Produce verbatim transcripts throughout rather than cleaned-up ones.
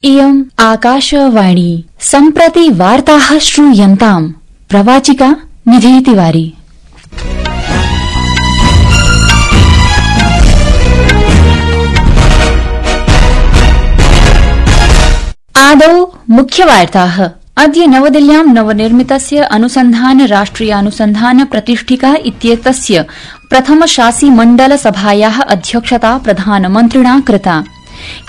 इयम् आकाशवाणी सम्प्रति वार्ताः श्रूयन्ताम्। प्रवाचिका निधि तिवारी। आदौ मुख्यवार्ताः। अद्य नवदिल्ल्यां नवनिर्मितस्य अनुसन्धान राष्ट्रियानुसन्धान प्रतिष्ठिका इत्येतस्य प्रथमशासिमण्डलसभायाः अध्यक्षता प्रधानमन्त्रिणा कृता।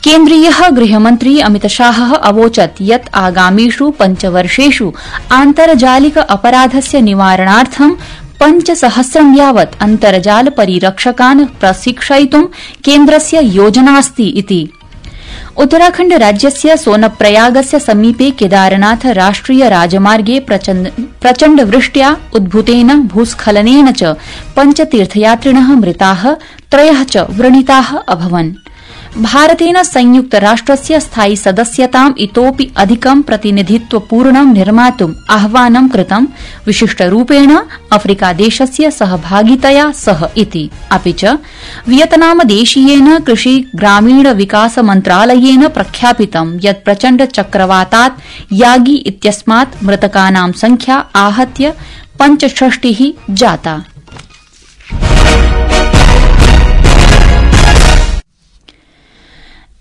केन्द्रीय गृहमन्त्री अमितशाह अवोचत् यत् आगामिषु पञ्चवर्षेषु आन्तर्जालिक अपराधस्य निवारणार्थं पञ्चसहस्रं यावत् अन्तर्जाल परिरक्षकान् प्रशिक्षयितुं केन्द्रस्य योजनास्ति इति। उत्तराखण्ड राज्यस्य सोनप्रयागस्य समीपे केदारनाथ राष्ट्रिय राजमार्गे प्रचण्ड वृष्ट्या उद्भूतेन भूस्खलनेन च पञ्च तीर्थयात्रिणः मृताः, त्रयः च व्रणिताः अभवन्। भारतेन संयुक्तराष्ट्रस्य स्थायि सदस्यताम् इतोऽपि अधिकं प्रतिनिधित्वपूर्णं निर्मातुम् आह्वानं कृतं, विशिष्टरूपेण अफ्रीकादेशस्य सहभागितया सह इति। अपि च वियतनामदेशीयेन कृषि ग्रामीण विकास मन्त्रालयेन प्रख्यापितं यत् प्रचण्ड चक्रवातात् यागी इत्यस्मात् मृतकानां संख्या आहत्य पञ्चषष्टिः जाता।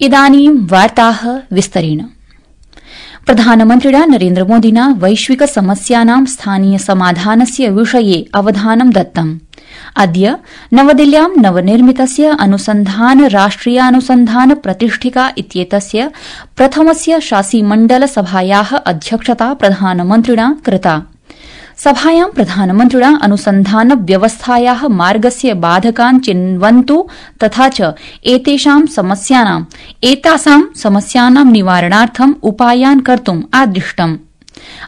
इदानीं वार्ताः विस्तरेण। प्रधानमन्त्रिणा नरेन्द्रमोदिना वैश्विक समस्यानां स्थानीय समाधानस्य विषये अवधानं दत्तम्। अद्य नवदिल्ल्यां नवनिर्मितस्य अनुसन्धान राष्ट्रियानुसन्धान प्रतिष्ठिका इत्येतस्य प्रथमस्य शासिमण्डलसभायाः अध्यक्षता प्रधानमन्त्रिणा कृता। सभायां प्रधानमन्त्रिणा अनुसन्धान व्यवस्थायाः मार्गस्य बाधकान् चिन्वन्तु तथा च एतेषां समस्यानां एतासां समस्यानां निवारणार्थं उपायान् कर्तुम् आदिष्टम्।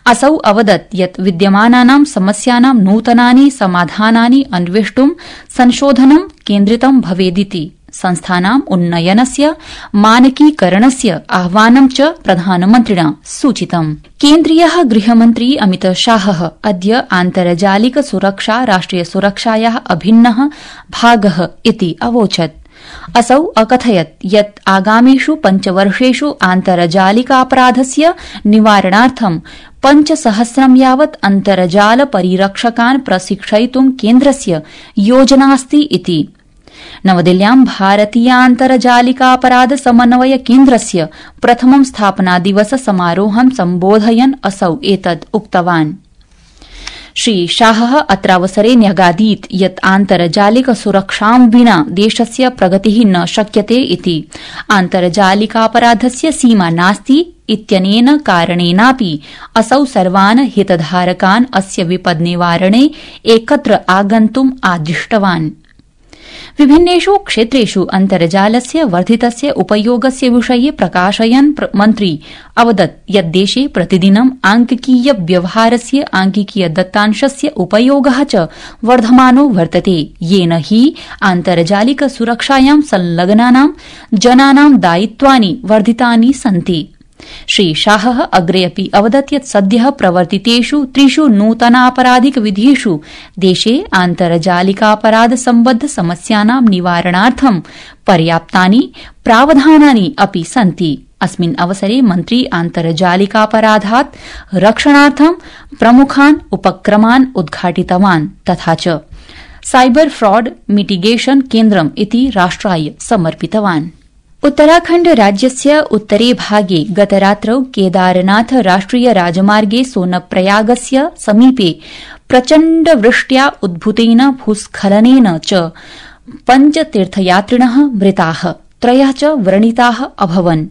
असौ अवदत् यत् विद्यमानानां समस्यानां नूतनानि समाधानानि अन्वेष्टुं संशोधनं केन्द्रितं भवेदिति। संस्थानाम् उन्नयनस्य मानकीकरणस्य आह्वानं च प्रधानमन्त्रिणा सूचितम्। केन्द्रीय गृहमन्त्री अमितशाह अद्य आन्तर्जालिक सुरक्षा राष्ट्रियसुरक्षायाः अभिन्नः भागः इति अवोचत्। असौ अकथयत् यत् आगामिषु पञ्चवर्षेषु आन्तर्जालिकापराधस्य निवारणार्थं पञ्चसहस्रं यावत् अन्तर्जाल परिरक्षकान् प्रशिक्षयितुं केन्द्रस्य योजनास्ति इति। नवदिल्ल्यां भारतीयान्तर्जालिकापराध समन्वय केन्द्रस्य प्रथमं स्थापनादिवस समारोहं सम्बोधयन् असौ एतत् उक्तवान्। श्रीशाहः अत्रावसरे न्यगादीत् यत् आन्तर्जालिक सुरक्षां विना देशस्य प्रगतिः न शक्यते इति। आन्तर्जालिकापराधस्य सीमा नास्ति इत्यनेन कारणेनापि असौ सर्वान् हितधारकान् अस्य विपद्निवारणे एकत्र आगन्तुम् आदिष्टवान्। विभिन्नेषु क्षेत्रेषु अन्तर्जालस्य वर्धितस्य उपयोगस्य विषये प्रकाशयन् मन्त्री अवदत् यत् देशे प्रतिदिनं आंकिकीय व्यवहारस्य आंकिकीय दत्तांशस्य उपयोगः च वर्धमानो वर्तते, येन हि आन्तर्जालिक सुरक्षायां संलग्नानां जनानां दायित्वानि वर्धितानि सन्ति। श्रीशाहः अग्रे अपि अवदत् यत् सद्यः प्रवर्तितेषु त्रिषु नूतनापराधिक विधिषु देशे आन्तर्जालिकापराध सम्बद्ध समस्यानां निवारणार्थं पर्याप्तानि प्रावधानानि अपि सन्ति। अस्मिन् अवसरे मन्त्री आन्तर्जालिकापराधात् रक्षणार्थं प्रमुखान् उपक्रमान् उद्घाटितवान् तथा च साइबर फ्रॉड मिटिगेशन केन्द्रम् इति राष्ट्राय समर्पितवान्। उत्तराखण्ड राज्यस्य उत्तरे भागे गतरात्रौ केदारनाथ राष्ट्रिय राजमार्गे सोनप्रयागस्य समीपे प्रचण्डवृष्ट्या उद्भूतेन भूस्खलनेन च पञ्च तीर्थयात्रिणः मृताः, त्रयः च व्रणिताः अभवन्।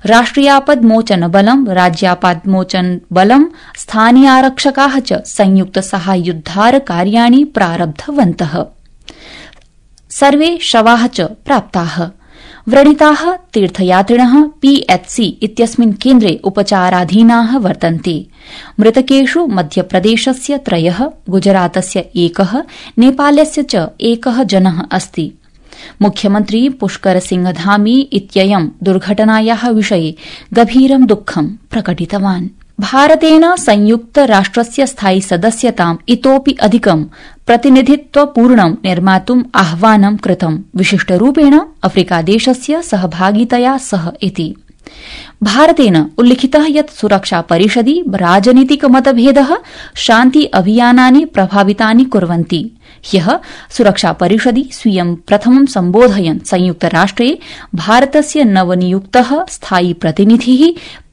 राष्ट्रियापद्मोचनबलं, राज्यापद्मोचनबलं, स्थानीयारक्षकाः च संयुक्तसाहाय्योद्धार कार्याणि प्रारब्धवन्तः। सर्वे शवाः च प्राप्ताः। व्रणिताः तीर्थयात्रिणः पीएचसी इत्यस्मिन् केन्द्रे उपचाराधीनाः वर्तन्ते। मृतकेषु मध्यप्रदेशस्य त्रयः, गुजरातस्य एकः, नेपालस्य च एकः जनः अस्ति। मुख्यमन्त्री पुष्कर सिंह धामी इत्ययं दुर्घटनायाः विषये गभीरं दुःखं प्रकटितवान्। भारतेन संयुक्त राष्ट्रस्य स्थायि सदस्यताम् इतोऽपि अधिकं प्रतिनिधित्वपूर्णं निर्मातुम् आह्वानं कृतं, विशिष्टरूपेण अफ्रीकादेशस्य सहभागितया सह इति। भारतेन उल्लिखितः यत् सुरक्षा परिषदि राजनीतिक मतभेदः शान्ति अभियानानि प्रभावितानि कुर्वन्ति। ह्यः सुरक्षा परिषदि स्वीयं प्रथमं सम्बोधयन् संयुक्तराष्ट्रे भारतस्य नवनियुक्तः स्थायी प्रतिनिधिः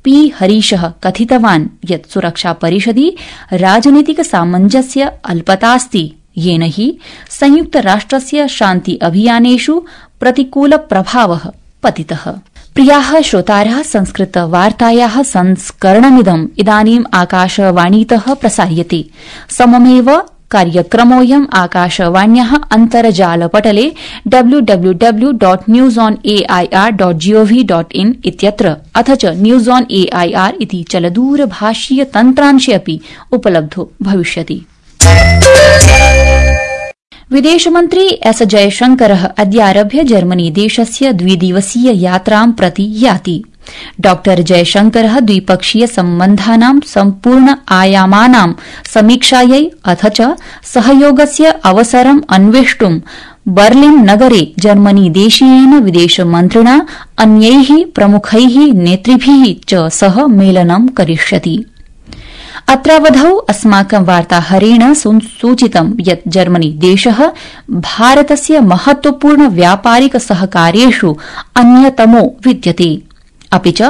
पी हरीशः कथितवान् यत् सुरक्षा परिषदि राजनीतिक सामञ्जस्य अल्पतास्ति, येन हि संयुक्तराष्ट्रस्य शान्ति अभियानेषु प्रतिकूल प्रभावः पतितः। प्रियाः श्रोतारः, संस्कृतवार्तायाः संस्करणमिदम् इदानीम् आकाशवाणीतः प्रसार्यते। सममेव कार्यक्रमोऽयम् आकाशवाण्याः अन्तर्जालपटले W W W dot news on AIR dot gov dot in इत्यत्र अथ च न्यूज ऑन एआईआर इति चलदूरभाषीय तन्त्रांशे अपि उपलब्धो भविष्यति। विदेशमन्त्री एस जयशंकरः अद्यारभ्य जर्मनी देशस्य द्विदिवसीय यात्रां प्रति याति। डॉ जयशंकरः द्विपक्षीय सम्बन्धानां सम्पूर्ण आयामानां समीक्षायै अथ च सहयोगस्य अवसरम् अन्वेष्टुं बर्लिन नगरे जर्मनी देशीयेन विदेशमन्त्रिणा अन्यैः प्रमुखैः नेतृभिः च सह मेलनं करिष्यति। अत्रावधौ अस्माकं वार्ताहरेण सूचितं यत् जर्मनी देशः भारतस्य महत्वपूर्ण व्यापारिक सहकार्येषु अन्यतमो विद्यते, अपि च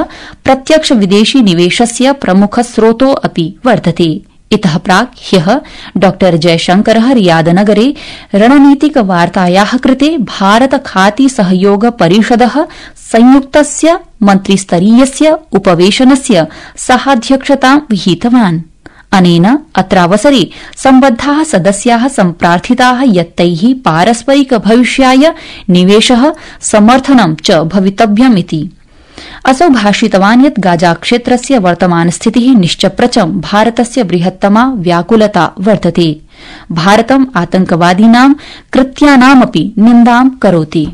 प्रत्यक्ष विदेशी निवेशस्य प्रमुख स्रोतो अपि वर्तते। इतः प्राक् ह्यः डॉ जयशंकरः रियादनगरे रणनीतिक वार्तायाः कृते भारत खाती सहयोग परिषदः संयुक्तस्य मन्त्रिस्तरीयस्य उपवेशनस्य सहाध्यक्षतां विहितवान्। अनेन अत्रावसरे सम्बद्धाः सदस्याः सम्प्रार्थिताः यत् तैः पारस्परिक भविष्याय निवेशः समर्थनं च भवितव्यमिति। असौ भाषितवान् यत् गाजा क्षेत्रस्य वर्तमान स्थितिः निश्चप्रचं भारतस्य बृहत्तमा व्याकुलता वर्तते। भारतम् आतंकवादीनां कृत्यानामपि निन्दां करोति।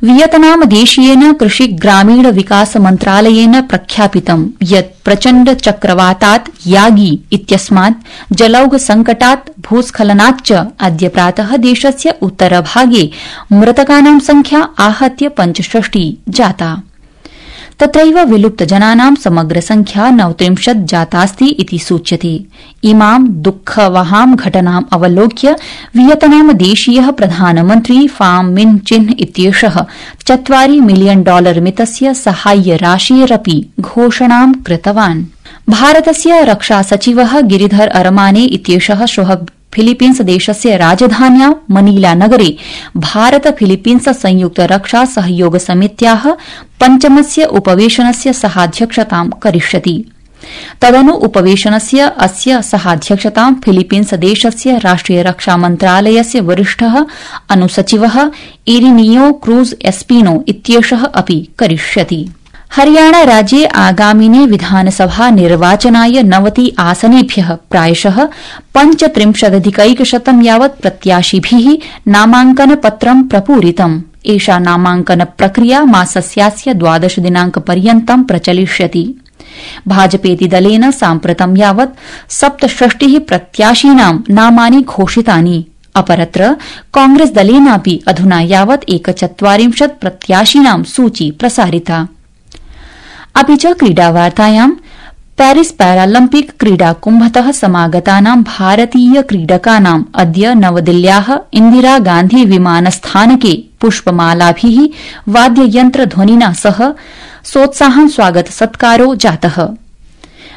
वियतनाम देशीयेन कृषि ग्रामीण विकास मन्त्रालयेन प्रख्यापितं यत् प्रचण्ड चक्रवातात् यागी इत्यस्मात् जलौघ संकटात् भूस्खलनात् च अद्य प्रातः देशस्य उत्तरभागे मृतकानां संख्या आहत्य पञ्चषष्टि जाता। तत्रैव विलुप्तजनानां समग्र संख्या नवत्रिंशत् जातास्ति इति सूच्यते। इमां दुःखवहां घटनाम् अवलोक्य वियतनाम देशीयः प्रधानमन्त्री फाम मिन चिन्ह इत्येषः चत्वारि मिलियन डॉलर मितस्य साहाय्य राशेरपि घोषणां कृतवान्। भारतस्य रक्षा सचिवः गिरिधर अरमाने इत्येषः श्वः फिलीपीन्स देशस्य राजधान्यां मनीला नगरे भारत फिलीपीन्स संयुक्त रक्षा सहयोग समित्याः पञ्चमस्य उपवेशनस्य सहाध्यक्षतां करिष्यति। तदनु उपवेशनस्य अस्य सहाध्यक्षतां फिलीपीन्स देशस्य राष्ट्रिय रक्षा मन्त्रालयस्य वरिष्ठः अनुसचिवः इरिनियो क्रूज एस्पिनो इत्येषः अपि करिष्यति। हरियाणा राज्ये आगामिने विधानसभा निर्वाचनाय नवति आसनेभ्यः प्रायशः पञ्चत्रिंशदधिकैकशतं यावत् प्रत्याशिभिः नामाङ्कनपत्रं प्रपूरितम्। एषा नामाङ्कन प्रक्रिया मासस्यास्य द्वादश दिनांकपर्यन्तं प्रचलिष्यति। भाजपेति दलेन साम्प्रतं यावत् सप्तषष्टिः प्रत्याशिनां नामानि घोषितानि। अपरत्र कांग्रेस दलेनापि अधुना यावत् एकचत्वारिंशत् प्रत्याशिनां सूची प्रसारिता। अपि च क्रीडावार्तायां पेरिस पैरालम्पिक क्रीडाकुम्भतः समागतानां भारतीय क्रीडकानां अद्य नवदिल्ल्याः इन्दिरा गान्धी विमानस्थानके पुष्पमालाभिः वाद्ययन्त्रध्वनिना सह सोत्साहं स्वागत सत्कारो जातः।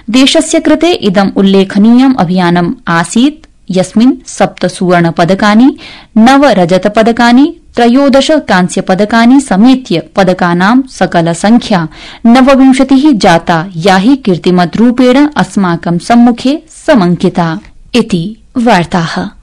देशस्य कृते इदम् उल्लेखनीयम् अभियानम् आसीत् यस्मिन् सप्त सुवर्ण पदकानि, नव रजत पदकानि, त्रयोदश कांस्य पदकानि समेत्य पदकानां सकल संख्या नवविंशतिः जाता, या हि कीर्तिमद्रूपेण अस्माकं सम्मुखे समंकिता इति वार्ताः।